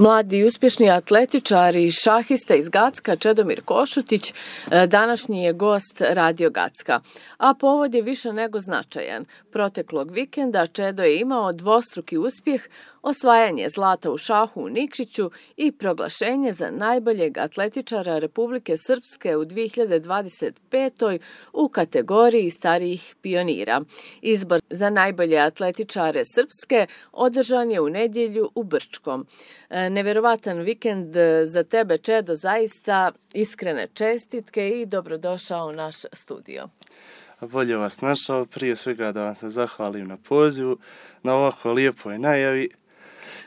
Mladi i uspješni atletičari i šahista iz Gacka Čedomir Košutić današnji je gost Radio Gacka, a povod je više nego značajan. Proteklog vikenda Čedo je imao dvostruki uspjeh, osvajanje zlata u šahu u Nikšiću i proglašenje za najboljeg atletičara Republike Srpske u 2025. u kategoriji starijih pionira. Izbor za najbolje atletičare Srpske održan je u nedjelju u Brčkom. Nevjerovatan vikend za tebe, Čedo, zaista iskrene čestitke i dobrodošao u naš studio. Bolje vas našao, prije svega da vam se zahvalim na pozivu, na ovako lijepoj najavi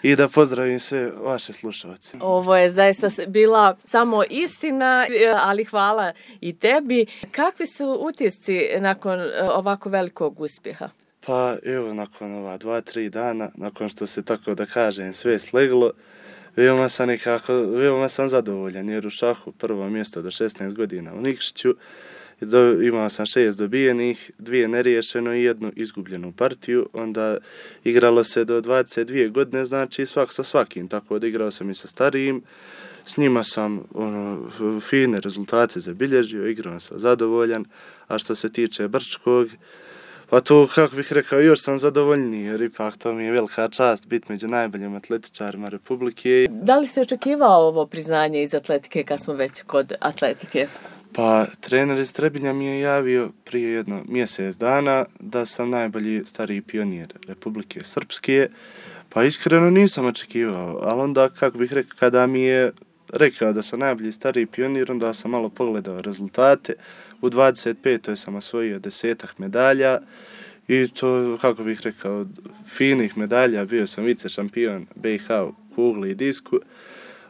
i da pozdravim sve vaše slušalce. Ovo je zaista bila samo istina, ali hvala i tebi. Kakvi su utisci nakon ovako velikog uspjeha? Pa evo, nakon ova 2-3 dana, nakon što se tako da kažem sve sleglo, veoma sam zadovoljan jer u šahu prvo mjesto do 16 godina u Nikšiću, imao sam 6 dobijenih, 2 neriješeno i 1 izgubljenu partiju, onda igralo se do 22 godine, znači svak sa svakim, tako da igrao sam i sa starijim, s njima sam fine rezultate zabilježio, igrao sam zadovoljan, a što se tiče Brčkog, pa to, kako bih rekao, još sam zadovoljniji, jer ipak to mi je velika čast biti među najboljim atletičarima Republike. Da li si očekivao ovo priznanje iz atletike kad smo već kod atletike? Pa, trener iz Trebinja mi je javio prije jedno mjesec dana da sam najbolji stariji pionir Republike Srpske, pa iskreno nisam očekivao, ali onda, kako bih rekao, kada mi je rekao da sam najbolji stariji pionir, onda sam malo pogledao rezultate. U 25. sam osvojio 10 medalja i to, kako bih rekao, finih medalja. Bio sam vice šampion BiH u kugli i disku,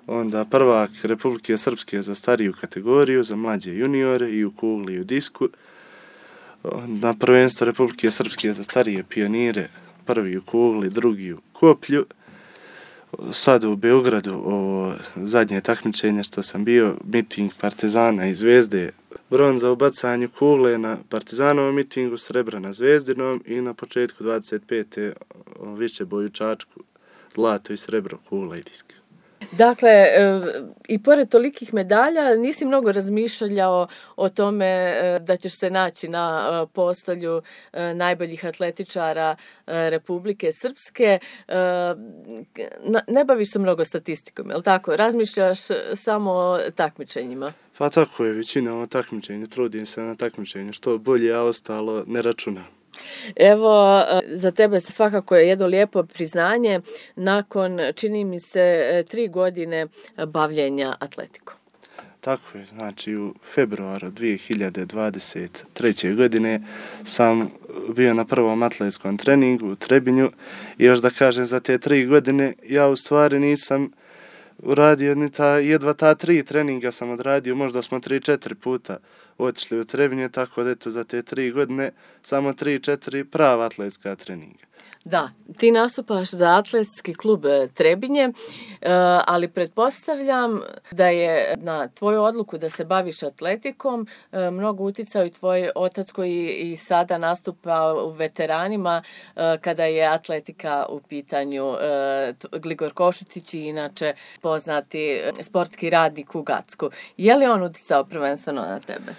onda prvak Republike Srpske za stariju kategoriju, za mlađe juniore i u kugli i u disku. Na prvenstvo Republike Srpske za starije pionire, prvi u kugli, drugi u koplju. Sad u Beogradu, ovo zadnje takmičenje što sam bio, miting Partizana i Zvezde, bronza u bacanju kugle na Partizanovom mitingu, srebra na Zvezdinom i na početku 25. višeboj u Čačku, zlato i srebro, kugla i disk. Dakle, i pored tolikih medalja nisi mnogo razmišljao o tome da ćeš se naći na postolju najboljih atletičara Republike Srpske. Ne baviš se mnogo statistikom, je li tako? Razmišljaš samo o takmičenjima? Pa tako je, većina o takmičenju, trudim se na takmičenju, što bolje, a ostalo ne računam. Evo, za tebe svakako je jedno lijepo priznanje nakon, čini mi se, 3 godine bavljenja atletikom. Tako je, znači u februaru 2023. godine sam bio na prvom atletskom treningu u Trebinju i još da kažem za te 3 godine ja u stvari nisam uradio ni jedva ta 3 treninga sam odradio, možda smo 3-4 puta otišli u Trebinje, tako da eto za te 3 godine samo 3-4 prava atletska treninga. Da, ti nastupaš za atletski klub Trebinje, ali pretpostavljam da je na tvoju odluku da se baviš atletikom mnogo uticao i tvoj otac koji i sada nastupa u veteranima kada je atletika u pitanju, Gligor Košutić i inače poznati sportski radnik u Gacku. Je li on uticao prvenstveno na tebe?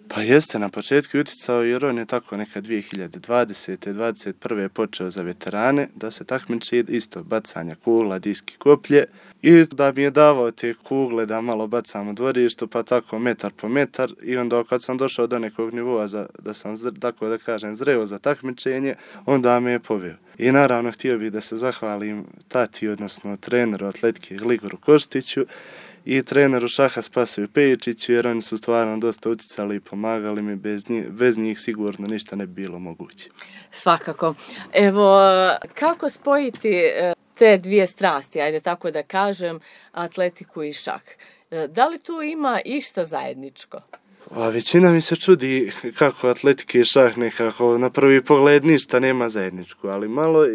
Pa jeste, na početku uticao jer on je tako neka 2020. 2021. počeo za veterane da se takmiči isto bacanja kugla, diski, koplje i da mi je davao te kugle da malo bacam u dvorištu pa tako metar po metar i onda kad sam došao do nekog nivoa da sam tako da kažem zreo za takmičenje, onda me je poveo. I naravno htio bih da se zahvalim tati, odnosno treneru atletike Gligoru Koštiću i treneru šaha Spasoju Pejičiću, jer oni su stvarno dosta uticali i pomagali mi, bez njih sigurno ništa ne bi bilo moguće. Svakako. Evo, kako spojiti te dvije strasti, ajde tako da kažem, atletiku i šah? Da li tu ima išta zajedničko? A većina mi se čudi kako atletika i šah nekako na prvi pogled ništa nema zajedničko, ali malo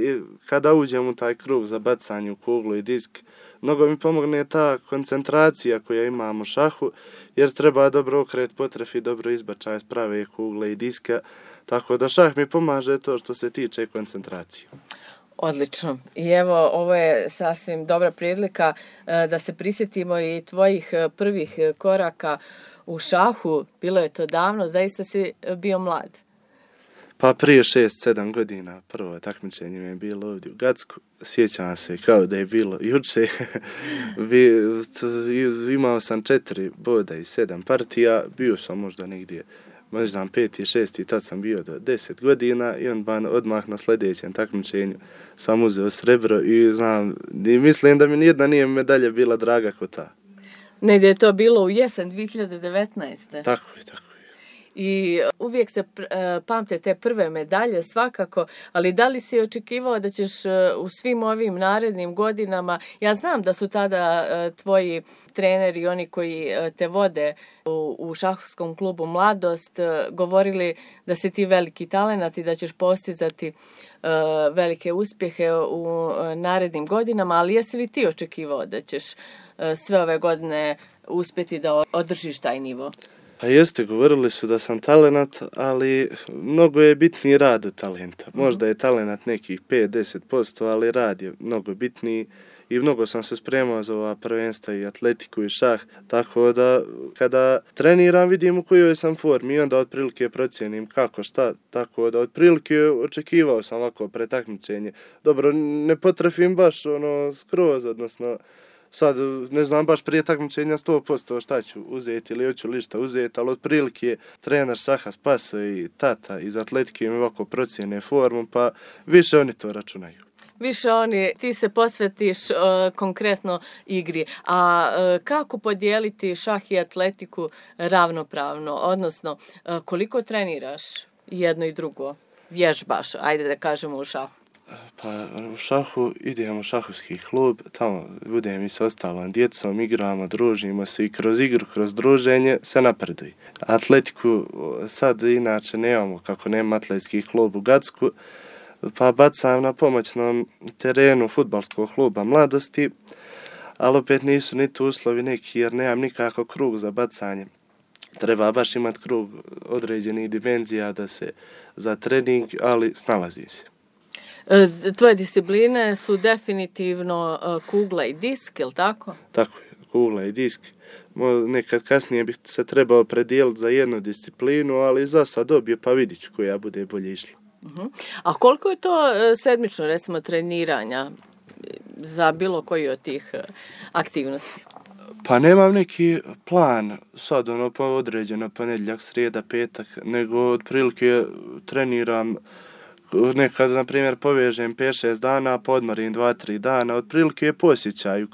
kada uđem u taj krug za bacanje u kuglu i disk, mnogo mi pomogne ta koncentracija koja imam u šahu, jer treba dobro okret potrefi, dobro izbačaj sprave kugle i diska, tako da šah mi pomaže to što se tiče koncentracije. Odlično. I evo, ovo je sasvim dobra prilika da se prisjetimo i tvojih prvih koraka u šahu. Bilo je to davno, zaista si bio mlad. Pa prije 6-7 godina prvo takmičenje mi je bilo ovdje u Gacku. Sjećam se kao da je bilo juče. Imao sam 4 boda i 7 partija. Bio sam možda negdje, možda 5. i 6. tad sam bio do 10 godina i odmah na sljedećem takmičenju sam uzeo srebro i mislim da mi nijedna nije medalja bila draga kao ta. Negdje je to bilo u jesen 2019. Tako je. I uvijek se pamte te prve medalje svakako, ali da li si očekivao da ćeš u svim ovim narednim godinama, ja znam da su tada tvoji treneri, oni koji te vode u šahovskom klubu Mladost, govorili da si ti veliki talenat i da ćeš postizati velike uspjehe u narednim godinama, ali jesi li ti očekivao da ćeš sve ove godine uspjeti da održiš taj nivo? Pa jeste, govorili su da sam talenat, ali mnogo je bitniji rad od talenta. Možda je talenat nekih 5-10%, ali rad je mnogo bitniji i mnogo sam se spremao za ova prvenstva i atletiku i šah, tako da kada treniram vidim u kojoj sam formi i onda otprilike procijenim kako šta, tako da otprilike očekivao sam ovako pretakmičenje. Dobro, ne potrefim baš skroz, odnosno sad ne znam baš prije takmičenja 100% šta ću uzeti ili hoću li šta uzeti, ali otprilike trener šaha Spaso i tata iz atletike mi ovako procijene formu, pa više oni to računaju. Više ti se posvetiš konkretno igri. A kako podijeliti šah i atletiku ravnopravno? Odnosno, koliko treniraš jedno i drugo? Vježbaš, ajde da kažemo u šahu. Pa u šahu idemo u šahovski klub, tamo budem i s ostalom djecom, igramo, družimo se i kroz igru, kroz druženje se napreduje. Atletiku sad inače nemamo, kako nema atletski klub u Gacku, pa bacam na pomoćnom terenu fudbalskog kluba Mladosti, ali opet nisu ni tu uslovi neki jer nemam nikako krug za bacanje. Treba baš imati krug određenih dimenzija da se za trening, ali snalazi se. Tvoje discipline su definitivno kugla i disk, je li tako? Tako je, kugla i disk. Nekad kasnije bih se trebao predijeliti za jednu disciplinu, ali za sad dobije pa vidit ću koja bude bolje išla. A koliko je to sedmično, recimo, treniranja za bilo koji od tih aktivnosti? Pa nemam neki plan sad određeno ponedjeljak, srijeda, petak, nego otprilike treniram. Nekad, na primjer, povežem 5-6 dana, podmorim 2-3 dana, otprilike je posjećaju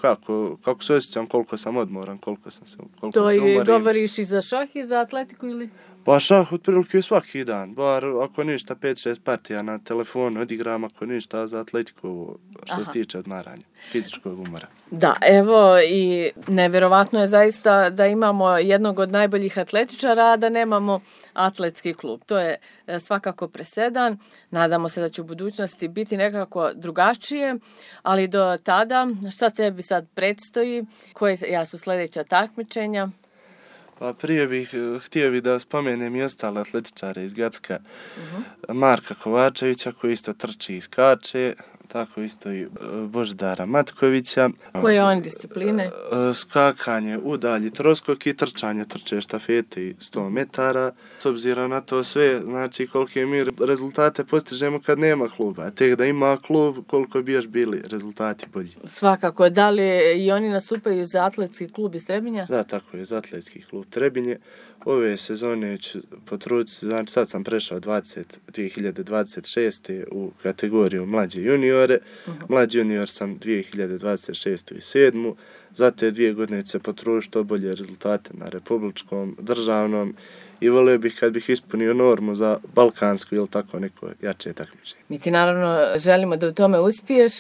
kako se osjećam, koliko sam odmoran, koliko sam umorim. To govoriš i za šah i za atletiku ili? Pa šah otprilike svaki dan, bar ako ništa 5-6 partija na telefonu odigram, ako ništa za atletiku što se tiče odmaranja, fizičkog umora. Da, evo i nevjerovatno je zaista da imamo jednog od najboljih atletičara, a da nemamo atletski klub. To je svakako presedan. Nadamo se da će u budućnosti biti nekako drugačije, ali do tada šta tebi sad predstoji? Koja su sljedeća takmičenja? Pa prije htio bih da spomenem i ostale atletičare iz Gacka. Marka Kovačevića koji isto trči i skače, tako isto i Božidara Matkovića. Koje on discipline? Skakanje, udalji, troskok i trčanje, trče štafete i 100 metara. S obzirom na to sve, znači kolike mi rezultate postižemo kad nema kluba. Tek da ima klub, koliko bi još bili rezultati bolji. Svakako. Da li i oni nastupaju za atletski klub iz Trebinja? Da, tako je, za atletski klub Trebinje. Ove sezone ću potruditi, znači sad sam prešao 2026. u kategoriju mlađe juniore. Mlađi junior sam 2026. i 7. Za te 2 godine ću se potruditi što bolje rezultate na republičkom, državnom i volio bih kad bih ispunio normu za balkansku ili tako neko jače takmičenje. Mi ti naravno želimo da u tome uspiješ.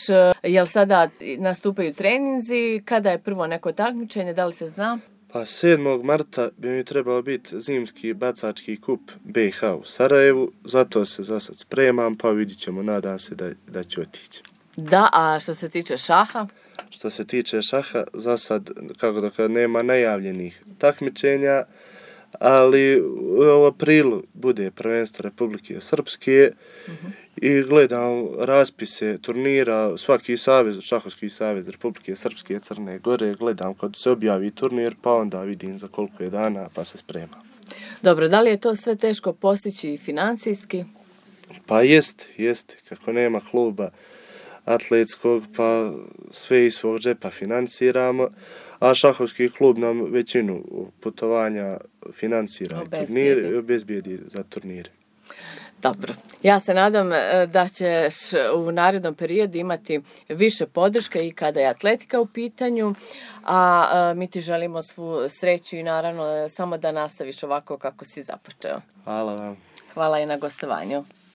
Jel sada nastupaju treninzi? Kada je prvo neko takmičenje? Da li se zna? Pa 7. marta bi mi trebao biti zimski bacački kup BiH u Sarajevu, zato se za sad spremam, pa vidit ćemo, nadam se da ću otići. Da, a što se tiče šaha? Što se tiče šaha, za sad, kako da nema najavljenih takmičenja, ali u aprilu bude prvenstvo Republike Srpske i gledam raspise turnira, svaki savez, šahovski savez Republike Srpske, Crne Gore, gledam kad se objavi turnir, pa onda vidim za koliko je dana, pa se spremam. Dobro, da li je to sve teško postići i financijski? Pa jest, kako nema kluba atletskog, pa sve iz svog džepa financiramo, a šahovski klub nam većinu putovanja financira i obezbijedi za turnire. Dobro. Ja se nadam da ćeš u narednom periodu imati više podrške i kada je atletika u pitanju, a mi ti želimo svu sreću i naravno samo da nastaviš ovako kako si započeo. Hvala vam. Hvala i na gostovanju.